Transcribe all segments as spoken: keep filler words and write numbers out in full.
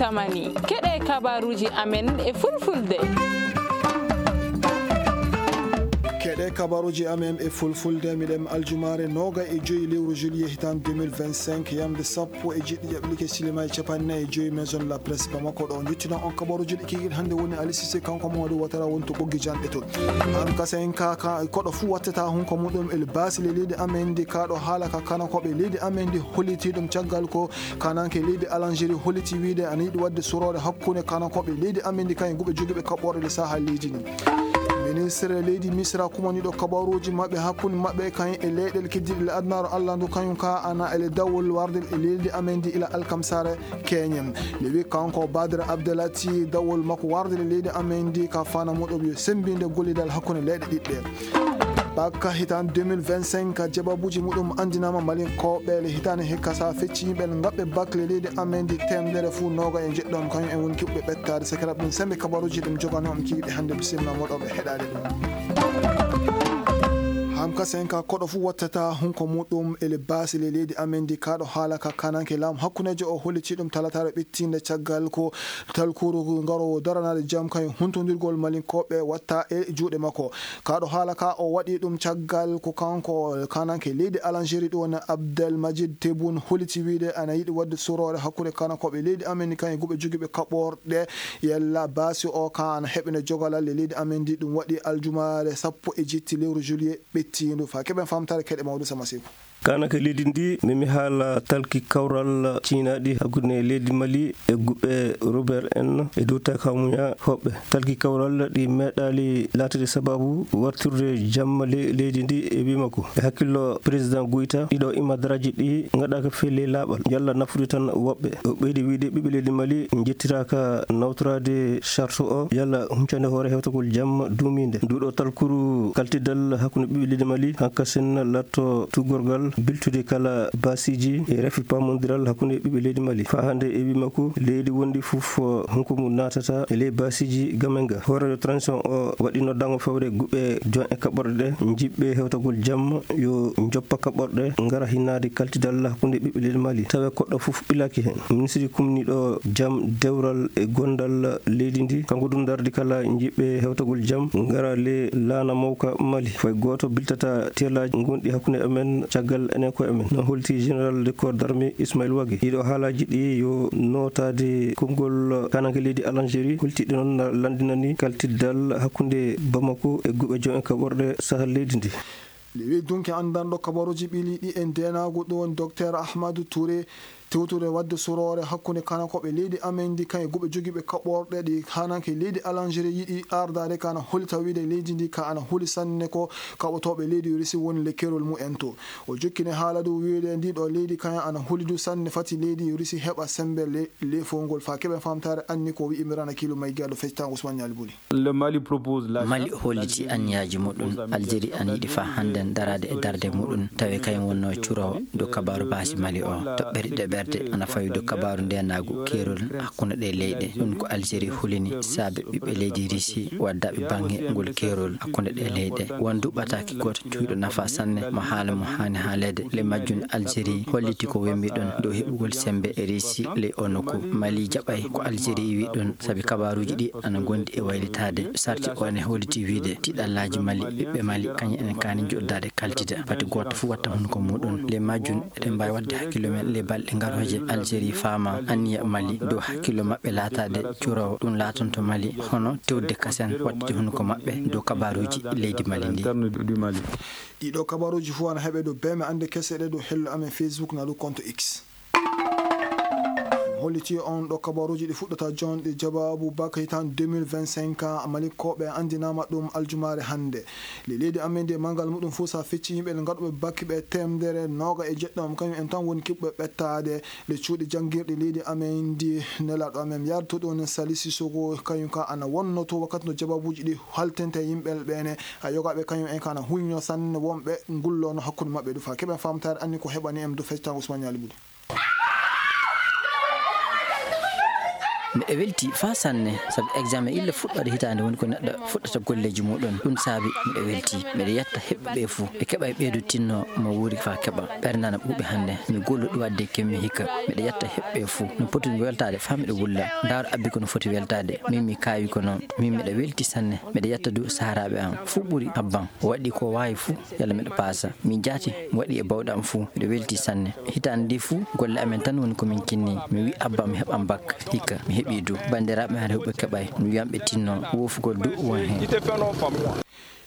tamani. Keɗe kabaruuji amen e fulfulde. Keɗe kabaruuji amen e fulfulde, miɗen aljumaare noogay e joyi lewru juillet hitaan deux mille vingt-cinq, yamde sappo e jeɗɗi jaɓɓike silima e capanɗe nayi e joyi Maison la Presse Bamako. Ɗo njottinon on kabaruuji ɗi kikiiɗe hannde woni Ali Cissé, kanko Mamadou Ouattara woni to ɓoggi janɗe to. An kasen ka, ka, koɗo fuu wattata hunko muɗum e baasi le leydi amen ndi, ka ɗo haala ka kanakooɓe leydi amen ndi holliti ɗum caggal ko kananke leydi Algérie holliti wiide ana yiɗi waɗde suroore hakkunde kanakooɓe leydi amen ndi kañum guɓe jogiiɓe kaɓɓoore le saha leydi ndi. Ministre leydi Misra kumaniiɗo kabaruuji maɓɓe hakkunde maɓɓe kañum e leyɗeele keddiiɗe le adunaaru Allah ndu kañum ka ana e le dawol warde e leydi amen ndi ila alkamsare keñen. Nde wi kanko Badr Abdelati dawol makko warde le leydi amen ndi ka fana muɗum yo sembinde gollidal hakkunde leyɗe ɗiɗɗe. Bakka hitaan deux mille vingt-cinq, jababuuji muɗum anndinaama Malinkooɓe le hitaande hikka sa fecci yimɓe ngaɓɓe bac le leydi amen ndi temedere fuu nooga e jeɗɗo kañum en woni kiɓɓe ɓettaade. Sakiraɓe ɗum sembe kabaruuji ɗum jogano on kiiɗe hannde bisimilla moɗo ɓe heɗaade ɗum. Hamka senka koɗo fuu wattata hunko muɗum e le baasi le leydi amen ndi kaɗo haala ka kananke laamu hakkundeejo o holliti ɗum talataare ɓittiinde caggal ko talkuru ngaroowo daranaade jam kañum huntondirgol Malinkooɓe watta e juuɗe makko. Kaɗo haala ka o waɗi ɗum caggal ko kanko kananke leydi Algérie ɗum woni Abdel Majid Tebboune holliti wiide ana yiɗi waɗde suroore hakkunde kanakooɓe leydi amen ndi kañum guɓe jogiiɓe kaɓɓorɗe yalla baasi o ka ana heɓene jogalal e leydi amen ndi. Ɗum waɗi aljumaare sappo e jetti lewru juillet ɓettiindu. Fa keɓen famtaare keɗe mawɗo Sama Seku. Kanake leydi ndi, memi haala talki kawral ciinaɗi hakkunde leydi Mali e guɓe Robert en e dow takamuya hoɓɓe. Talki kawral ɗi meeɗaali laatade sababu wartirde jamma le-, leydi ndi e wii makko. E hakkillo Président Goïta, ɗiɗo imadaraaji ɗi ngaɗaaka fii ley laaɓal, yalla nafude tan woɓɓe. O ɓeydi wiide ɓiɓɓe leydi Mali njettiraaka nawtoraade charte o, yalla huncande hoore hewtagol jamma duumiinde. Nduɗo talkuru kaltidal hakkunde ɓiɓɓe leydi Mali, hankasen latto tuggorgal biltude kala baasiiji e rafi pamondiral hakkunde ɓiɓɓe leydi Mali. Faa hannde e wii makko, leydi wondi fof, hunko mum naatata e ley baasiiji gamenga. Hooreejo transition o waɗi noddaango fewre guɓe jon e kaɓɓorɗe ɗe, jiɓɓe hewtagol jamma yo joppa kaɓɓorɗe, ngara hinnaade kaltidal hakkunde ɓiɓɓe leydi Mali. Tawe koɗɗo fof ɓilaaki heen. Ministre kumniiɗo jam, dewral e gondal leydi ndi, kanko ɗum dardi kala jiɓɓe hewtagol jam, ngara le laana mawka Mali. Fay gooto biltata teelaaji ngonɗi hakkunde amen caggal enen koye amen. No holti Général de corps d'armée Ismaël Wagué. Ɗiɗo haalaaji ɗi yo nootaade konngol kananke leydi Algérie, holti ɗi noon na lanndinani kaltiddal hakkunde Bamako e guɓe jom en kaɓorɗe sahal leydi ndi. Nde wi dunki anndanɗo kabaruuji ɓili ɗi e ndeenaagu ɗo woni Docteur Ahmadou Touré, tewtude waɗde suroore hakkunde kanakooɓe leydi amen ndi, kañum e guɓe jogiiɓe kaɓɓorɗe ɗi hananke leydi Algérie yiɗi ardaade ka ana holi tawiide leydi ndi ka ana holi sanne ko kaɓotooɓe leydi Russie woni le keerol mumen to. O jokkini haala du wiide ndi ɗo leydi kañum ana holi du sanne fati leydi Russie heɓa sembe le, le fowngol fa keɓen famtaare anni ko wi'i Mirana Kilo May Gallo feccitaa Ousmane Nialy Bouly. Le Mali propose la Mali holliti anniyaaji muɗum. Algérie ana yiɗi faa hannden daraade e darnde muɗum, tawi kañum wonnoo curoowo dow kabaaru baasi Mali o. Toɓɓere ɗiɗaɓerde ana fawi dow kabaaru ndeenaagu keerol hakkunde ɗee leyɗe. Ɗum ko Algérie hulini saabe ɓiɓɓe leydi Russie waddaaɓe baŋŋe ngol keerol hakkunde ɗee leyɗe. Won du ɓataake gooto cuuyɗo nafa sanne mo haala mo haani haaleede. Le majjum Algérie holliti ko wembi ɗon dow heɓugol sembe e Russie ley oo nokku. Mali jaɓay ko Algérie wi ɗon, sabi kabaaruuji ɗi ana ngondi e waylitaade. Sarti o ene holliti wiide tiiɗallaaji Mali, ɓiɓɓe Mali, kañum enen kaani joɗdaade kaltida. Pati gooto fof watta hunuko muɗum. Le majjum eɗen mbaawi waɗde hakkillo men le balɗe garooje. Algérie faama anniya Mali dow hakkillo maɓɓe laataade curoowo. Ɗum laatanto Mali hono tewde kasen waɗtude hunuko maɓɓe dow kabaaruuji leydi Mali ndi. Ɗiɗo kabaruuji fof ana heɓe dow beme annde kese ɗe dow hello amen Facebook na dow compte X. Holliti on ɗo kabaruuji ɗi fuɗɗata jonɗe jabaabu baka hitaan deux mille vingt-cinq, Malinkooɓe anndinaama ɗum aljumaare hannde. Le leydi amen ndi e manngal muɗum fof sa fecci yimɓe ɗe ngaɗuɓe bakki ɓe temedere nooga e jeɗɗo, kañum en tan woni kiɓɓe ɓettaade. Le cuuɗi janngirɗi leydi amen ndi nelaaɗo amen yahduto ɗon Sali Sissoko, kañum ka ana wonno to wakkati no jabaabuuji ɗi haltente yimɓe ɓene. A yogaaɓe kañum en ka ana huñño sanne wonɓe ngullono hakkunde maɓɓe du fa keɓen famtaare anni ko heɓani en du feccitaa Ousmane Nialy Bouly. Miɗo welti faa sanne, sabu examen illa fuɗɗoode hitaande woni ko neɗɗo fuɗɗata golleeji muɗum. Ɗum saabi miɗo welti. Miɗo yetta heɓɓe ɓe fuu. Ɓe keɓa e ɓeydu tinno mo wuuri faa keɓa. Ɓernana ɓuuɓi hannde. Mi golluɗo waɗde kemmi hikka. Miɗo yetta heɓɓe fuu. No poti mi weltaade faa miɗo wulla. Ndaar abbi ko no foti weltaade. Min mi kaawi ko noon. Min miɗo welti sanne. Miɗo yetta du saharaaɓe am. Fuu ɓuri abban. O waɗi ko waawi fuu. Yalla miɗo paasa. Min jaati mi waɗi e bawɗe am fuu. Miɗo welti sanne. Hitaande ndi fuu golle amen tan woni ko min kinni. Mi wi abba mi heɓan bak. Hikka mi heɓi du. Banndiraaɓe hare huɓe keɓay. Mi wiyan ɓe tinno. Woofugol du won heen.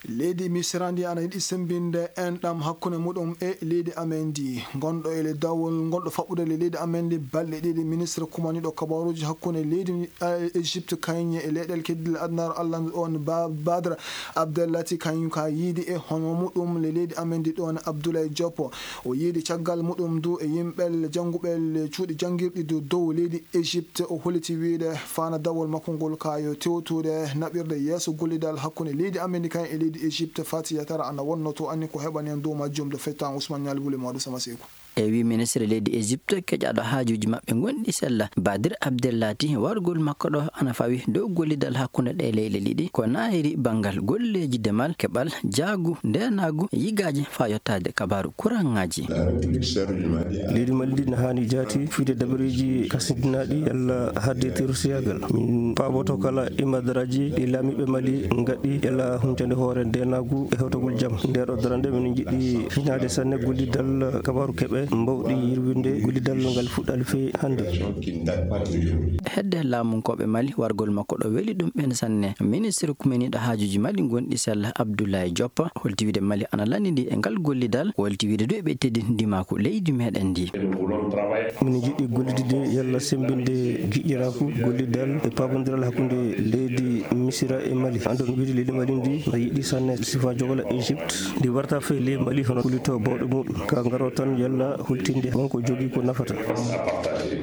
Leydi Misira ndi ana yiɗi semmbinde enɗam hakkunde muɗum e leydi amen ndi. Ngonɗo e le dawol ngonɗo faɓɓude le leydi amen ndi balɗe ɗiɗi, ministre kumaniɗo kabaruuji hakkunde leydi, eh, Egypte, kañum e leyɗeele keddiɗe adunaaru Allah on, Ba-, Badr Abdellati, kañum ka yiidi e hono muɗum le leydi amen ndi ɗon Abdoulaye Diop. O yiidi caggal muɗum du e yimɓe jannguɓe le cuuɗi janngirɗi du dow leydi Egypte. O holliti wiide fana dawol makko ngol ka yo tewtude naɓirde yeeso gollidal hakkunde leydi amen ndi kañum e leydi Egypte. Fati Yatara ana wonno to anni ko heɓani en dow majjum de fettan Ousmane Ñaali Wuli Maodo Sama Seeku. E wi ministre leydi Egypte keƴaɗo haajuuji maɓɓe gonɗi sella, Badir Abdellati, wargol makko ɗo ana fawi dow gollidal hakkunde ɗe leyɗe ɗiɗi, ko naayiri banngal golleeji demal, keɓal, jaagu, ndeenaagu, yigaaji faa yottaade kabaaru kuraŋaaji. Leydi Mali ndi ne haani jaati fiyde dabareeji kasindinaaɗi yalla haɗde terosiyaagal. Min paaboto kala imadaraaji ɗi laamiiɓe Mali ngaɗi yalla huncande hoore ndeenaagu e hewtagol jam. Nde ɗo darande min njiɗi hinaade sanne gollidal kabaaru keɓe mbawɗi yirwinde gollidal ngal fuɗɗaali fii hannde. Hedde laamunkooɓe Mali wargol makko ɗo weli ɗum ɓen sanne. Ministre kumeniiɗo haajuuji Mali gonɗi sella Abdoulaye Diop holti wiide Mali ana lanndidi e ngal gollidal, holti wiide du eɓe teddini ndimaaku leydi meɗen ndi. Min njiɗi gollidde yalla semmbinde giƴƴiraaku gollidal e paabondiral hakkunde leydi Misira e Mali. Anndon wiide leydi Mali ndi na yiɗi sanne sifa jogola Egypte. Ndi warta fii leydi Mali hono kullitoo bawɗe muɗum. Ka ngaro tan yalla hultinde wonko jogii ko nafata.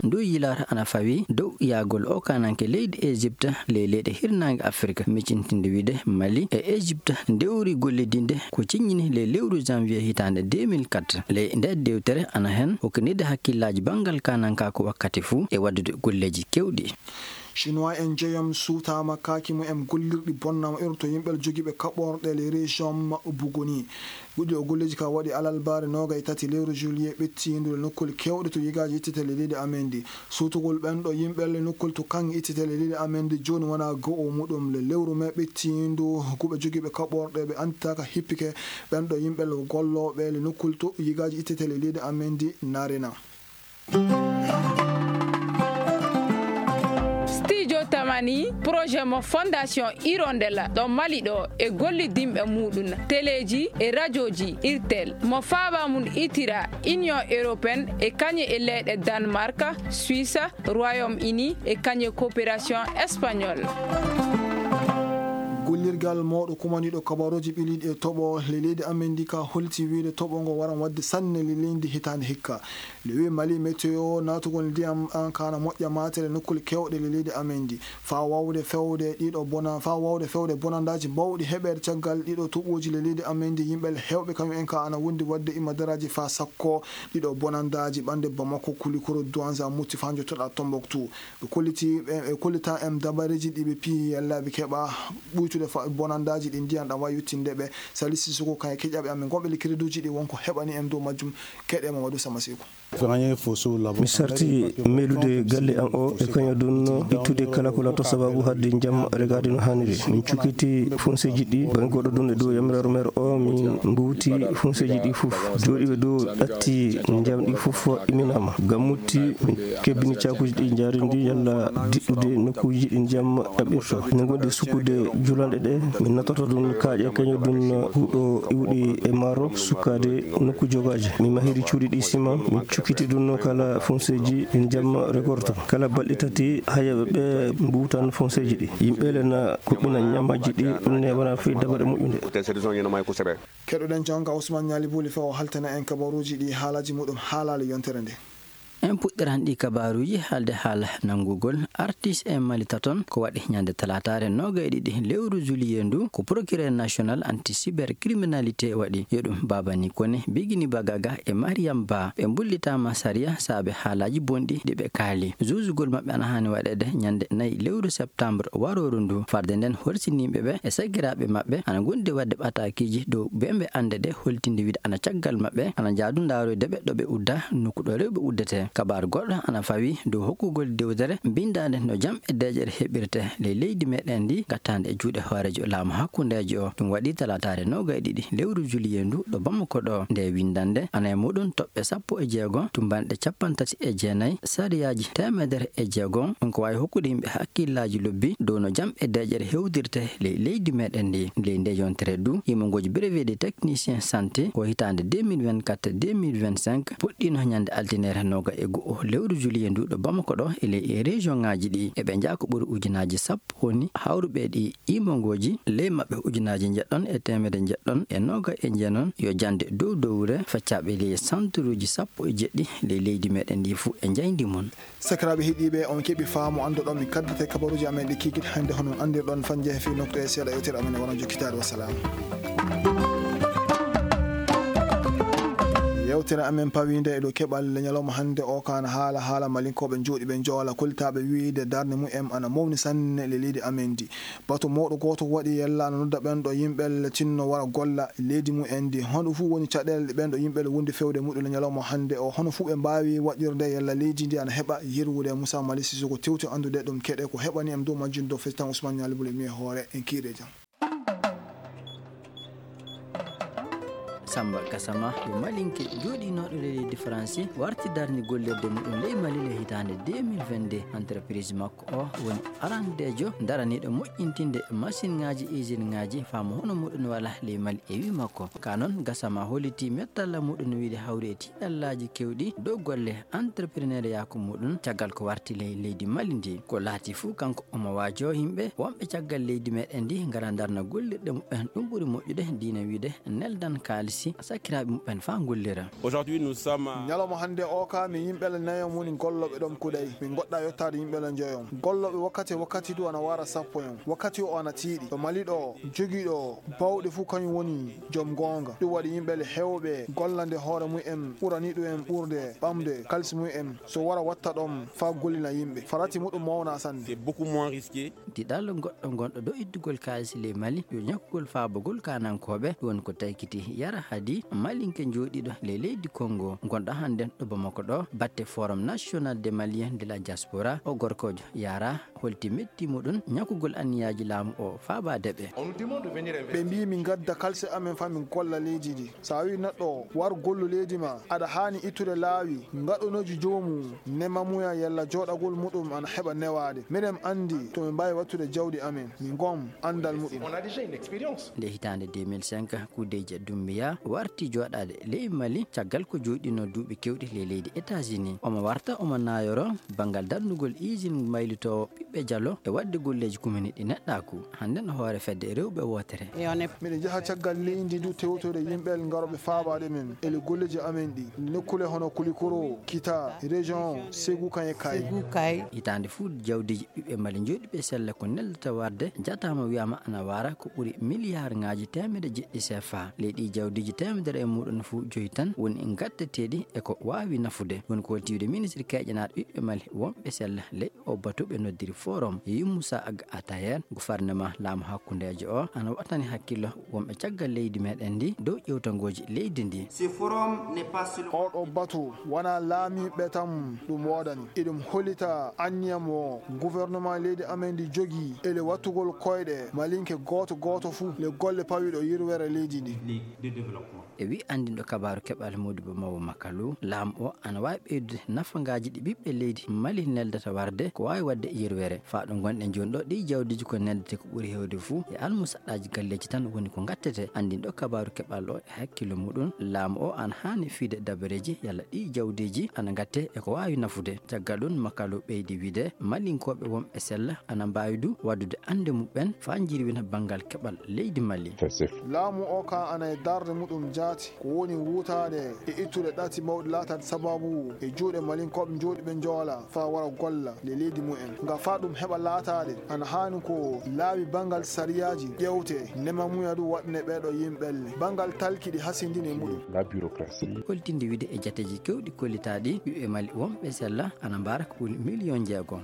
Ndu yilaata ana fawi dow yahgol o kaananke leydi Egypte ley leyɗe hirnaange Afirka, miccintinde wiide Mali e Egypte ndewri gollidinde ko ciññini ley lewru janvier hitaande deux mille quatre. Ley nde dewtere ana heen hokkinirde hakkillaaji banngal kaanankaaku wakkati fuu e waɗdude golleeji keewɗi. Chinois en joyom suutaama kaaki mumen gollirɗi bonnama iro to yimɓe jogiiɓe kaɓorɗe le région Buguni. Ɗiɗo golleeji ka waɗi alarbaare noogay tati lewru juillet ɓettiindu le nokkule keewɗe to yigaaji ittete le leydi amen ndi. Suutugol ɓen ɗo yimɓe le nokkule to kaŋŋe ittete le leydi amen ndi jooni wona go'o muɗum le lewru me ɓettiindu. Kuɓe jogiiɓe kaɓorɗe ɓe annditaaka hippike ɓen ɗo yimɓe le gollooɓe le nokkule to yigaaji ittete le leydi amen ndi narina. Studio Tamani, projet mo Fondation Hirondelle ɗo Mali ɗo e gollidinɓe muɗum, teleeji e rajooji Irtel, mo faaba mum itira Union Européenne e kañe e leyɗe Danemark, Suisse, Royaume-Uni e kañe coopération espagnole. Gollirgal mawɗo kumaniiɗo kabaruuji ɓiliiɗi e toɓo le leydi amen ndi ka holti wiide toɓo ngo waran waɗde sanne le leydi hitaande hikka. Le wi Mali Météo naatugol ndiyam an kana moƴƴa maatere nokkule keewɗe le leydi amen ndi. Faa wawde fewde ɗiɗo bona-, faa wawde fewde bonandaaji bawɗi heɓeede caggal ɗiɗo toɓooji le leydi amen ndi, yimɓe le heewɓe kañum en ka ana wondi waɗde imma daraaji faa sakko ɗiɗo bonandaaji ɓannde Bamako, Kulikoro, Douenza, Mopti faa njottoɗaa Tombouctou. Ɓe kolliti, ɓe, ɓe kollita en dabareeji ɗi ɓe piyi yalla ɓe keɓa ɓuytude fa-, bonandaaji ɗi ndiyan ɗan wawi yottinde ɓe. Sali Sissoko kañum e keƴaɓe amen gonɓe le créditji ɗi wonko heɓani en dow majjum. Keɗe Mamadou Sama Seeku. Mi sarti melude galle am o e kañum ɗun ittude kala ko lato sababu hadde jam regaade no haaniri. Min cukkiti fonseeji ɗi, bangge goɗɗo ɗun e dow yamiraaru meer o, min mbuuti fonseeji ɗi fof. Jooɗiiɓe dow ɗatti jam ɗi fof iminaama. Ngam mutti, min kebbini caakuuji ɗi njaarindi yalla diɗɗude nokkuuji ɗi jam ɗaɓɓirto. Min ngondi sukkude julanɗe ɗe, min nattorto ɗun kaaƴe kañum ɗun huɗo iwɗi e maaro sukkaade nokku jogaaji. Min mahiri cuuɗi ɗi sima, min cukkiti ɗun kala fonseeji ɗin jam regorto. Kala balɗe tati hayaɓe ɓe mbuutan fonseeji ɗi. Yimɓe le na kuɓɓina ñamaaji ɗi, ɗun ne wona fii dabare moƴƴunde. Keɗoɗen jonka Ousmane Ñaali Buli fewo haltana en kabaruuji ɗi haalaaji muɗum haalaali yontere nde. En puɗɗiran ɗi kabaaruuji haalde haala nanngugol artiste en Mali taton. Ko waɗi ñande talaataare noogay e ɗiɗi lewru juillet ndu, ko procureur national anti cybercriminalité waɗi yo ɗum Babani Kone, Bigini Bagaga e Mariam Ba. Ɓe mbullitaama sariya saabe haalaaji bonɗi ɗi ɓe kaali. Juujugol maɓɓe ana haani waɗeede ñande nayi lewru septembre warooru ndu. Farde nden, horsiniiɓe ɓe e sakiraaɓe maɓɓe ana ngondi waɗde ɓataakiiji dow bembe annde ɗe, holtinde wiide ana caggal maɓɓe, ana njaadu ndaaroyde ɓe ɗo ɓe udda, nokku ɗo rewɓe uddete. Kabaaru goɗɗo ana fawi dow hokkugol dewtere binndaande no jam e deeƴere heɓirte ley leydi meɗen ndi, gattaande e juuɗe hooreejo laamu hakkundeejo o. Ɗum waɗi talaataare noogay e ɗiɗi lewru juillet ndu ɗo Bamako ɗo. Nde winndannde ana e muɗum toɓɓe sappo e jeego, tumbanɗe cappanɗe tati e jeenayi, sariyaaji teemedere e jeego. Ɗum ko waawi hokkude yimɓe hakkillaaji lobbi dow no jam e deeƴere hewtirte ley leydi meɗen ndi. Ley nde yontere du, yimongooji brevet de technicien santé ko hitaande deux mille vingt-quatre deux mille vingt-cinq puɗɗiino ñande altine noogay e go'o lewru juillet ndu ɗo Bamako ɗo e ley e région ŋaaji ɗi. Eɓe njaha ko ɓuri ujunaaji sappo woni hawruɓe ɗi yimongooji, ley maɓɓe ujunaaji njeɗɗon e teemedde njeɗɗon e noogay e jeenon yo jannde dow dowre faccaaɓe ley santuruuji sappo e jeɗɗi ley leydi meɗen ndi fuu e njayndi mum. Sakiraaɓe heɗiiɓe, on keɓi faamu annduɗon mi kaddete kabaruuji amen ɗi kiikiɗe hannde, hono on anndirɗon fanje he fii noktu e seeɗa yewtere amen e wano jokkitaade. Wassalam. Yewtere amen pawiinde e ɗo keɓal ñalawma hannde o, kaana haala, haala malinkooɓe jooɗiiɓe Joola, koltaaɓe wiide darnde mumen ana mawni sanne le leydi amen ndi. Batu mawɗo gooto waɗi yalla ana nodda ɓen ɗo yimɓe tinno wara golla leydi mumen ndi. Hono fuu woni caɗeele ɗe ɓen ɗo yimɓe wondi fewde muɗum le ñalawma hannde o, hono fuu ɓe mbaawi waɗirde yalla leydi ndi ana heɓa yirwude. Moussa Mali Sissoko tewti anndude ɗum keɗe ko heɓani en dow majjum dow fesitan Ousmane Ñaali Bule mi e hoore en kiire jam. Samba Gassama yo malinke jooɗinooɗo e leydi Faransi warti darni gollirde muɗum ley Mali le hitaande deux mille vingt-deux. Entreprise makko o woni arandeejo daraniiɗo moƴƴintinde machine ŋaaji, usine ŋaaji, faamu hono muɗum wala ley Mali. E wi makko ka noon, Gassama holliti mettalla muɗum wiide hawri e tiiɗallaaji kewɗi dow golle entrepreneur yaako muɗum caggal ko warti ley leydi Mali ndi. Ko laati fuu kanko omo waajo yimɓe wonɓe caggal leydi meɗen ndi ngara darna gollirɗe muɓɓen. Ɗum ɓuri moƴƴude diina wiide neldan kaalisi sakiraaɓe muɓɓen faa ngollira. Aujourd'hui, nous sommes, euh, ñalawma hannde o ka mi yimɓe le nayo moni gollooɓe ɗon kuɗay. Min goɗɗa yottaade yimɓe le njoyon. Gollooɓe wakkati e wakkati du ana wara sappo yon. Wakkati o ana tiiɗi. Ɗo Mali ɗo, jogiiɗo bawɗe fuu kañum woni joom goonga. Ɗum waɗi yimɓe le heewɓe gollande hoore mumen ɓurani ɗum en ɓurde ɓamde kalisi mumen. So wara watta ɗon faa gollina yimɓe. Farati muɗum mawna sanne. C'est beaucoup moins risqué. Diɗal goɗɗo gonɗo dow ittugol kaalisi ley Mali yo ñakkugol faabagol kaanankooɓe, ɗum woni ko taykiti Yara Hadi, malinke jooɗiiɗo ley leydi Kongo, gonɗo hannden ɗo Bamako ɗo, batte Forum National des Maliens de la Diaspora. O gorkoojo Yara holti metti muɗum ñakkugol anniyaaji laamu o faabaade ɓe. Ɓe mbii min ngadda kalse amen faa min golla leydi ndi. So a wii neɗɗo war gollu leydi ma, aɗa haani ittude laawi ngaɗonooji joomum, nemamuya yalla jooɗagol muɗum ana heɓa newaade. Miɗen anndi to min mbaawi wattude jawdi amen, min ngom anndal muɗum. On a déjà une expérience. Nde hitaande deux mille cinq, Kudeeje Dumbiya warti jooɗaade ley Mali caggal ko jooɗiinoo duuɓi keewɗi ley leydi États-Unis. Omo warta, omo naayoro banngal darnugol usine mbaylitoowo ɓiɓɓe jalo e waɗde golleeji kumini ɗi neɗɗaaku. Hannden o hoore fedde rewɓe wootere. Miɗen njaha caggal leydi ndu tewtore yimɓe ngarooɓe faabaade men e le golleeji amen ɗi. Nokkule hono Kulikoro, Kita, région, Ségou Kaye Kaye. Hitaande fuu jawdiiji ɓiɓɓe Mali jooɗiiɓe sella ko neldata warde jataama wiyaama ana wara ko ɓuri miliyaarŋaaji teemedde jeɗɗi C F A. Ley ɗi jawdiiji teemedere e muɗum fuu joyi tan woni gatteteeɗi e ko waawi nafude. Woni ko holti wiide ministre keeƴanaaɗo ɓiɓɓe Mali wonɓe sella ley o batu ɓe noddiri forum. Yeyi Moussa Ag Atayer, gouvernement laamu hakkundeejo o ana waɗtani hakkillo wonɓe caggal leydi meɗen ndi dow ƴewtangooji leydi ndi. Ce forum n'est pas seulement... Oɗo batu wona laamiiɓe tan ɗum woodani. Iɗum holita anniya mo gouvernement leydi amen ndi jogii e le wattugol koyɗe malinke gooto gooto fuu le golle pawiiɗo yirwere leydi ndi. E wi anndinɗo kabaaru keɓal Modibo Mawo Makalu, laamu o ana waawi ɓeydude nafagaaji ɗi ɓiɓɓe leydi Mali neldata warde ko waawi waɗde yirwere. Faa ɗo ngonɗen jooni ɗo, ɗii jawdiiji ko neldete ko ɓuri heewde fuu e almusaɗɗaaji galleeji tan woni ko ngattete. Anndin ɗo kabaaru keɓal o e hakkillo muɗum, laamu o ana haani fiyde dabareeji yalla ɗii jawdiiji ana ngatte e ko waawi nafude. Caggal ɗum, Makalo ɓeydi wiyde, Malinkooɓe wonɓe sella ana mbaawi du waɗude annde muɓɓen faa njirwina banngal keɓal leydi Mali. Laamu o ka ana e darnde muɗum jaati, ko woni wuutaade e ittude ɗati mawɗi laataade sabaabu e juuɗe Malinkooɓe jooɗiiɓe njoolaa faa wara golla le leydi mumen. Nga faa ɗum heɓa laataade, ana haani ko laabi banngal sariyaaji ƴeewte, nemamuya du waɗne ɓeeɗo yimɓelle banngal talki ɗi hasindini e muɗum. Holtinde wiyde e jateeji keewɗi kollitaaɗi, ɓiɓɓe Mali wonɓe sella ana mbaara ko ɓuri miliyon jeegom.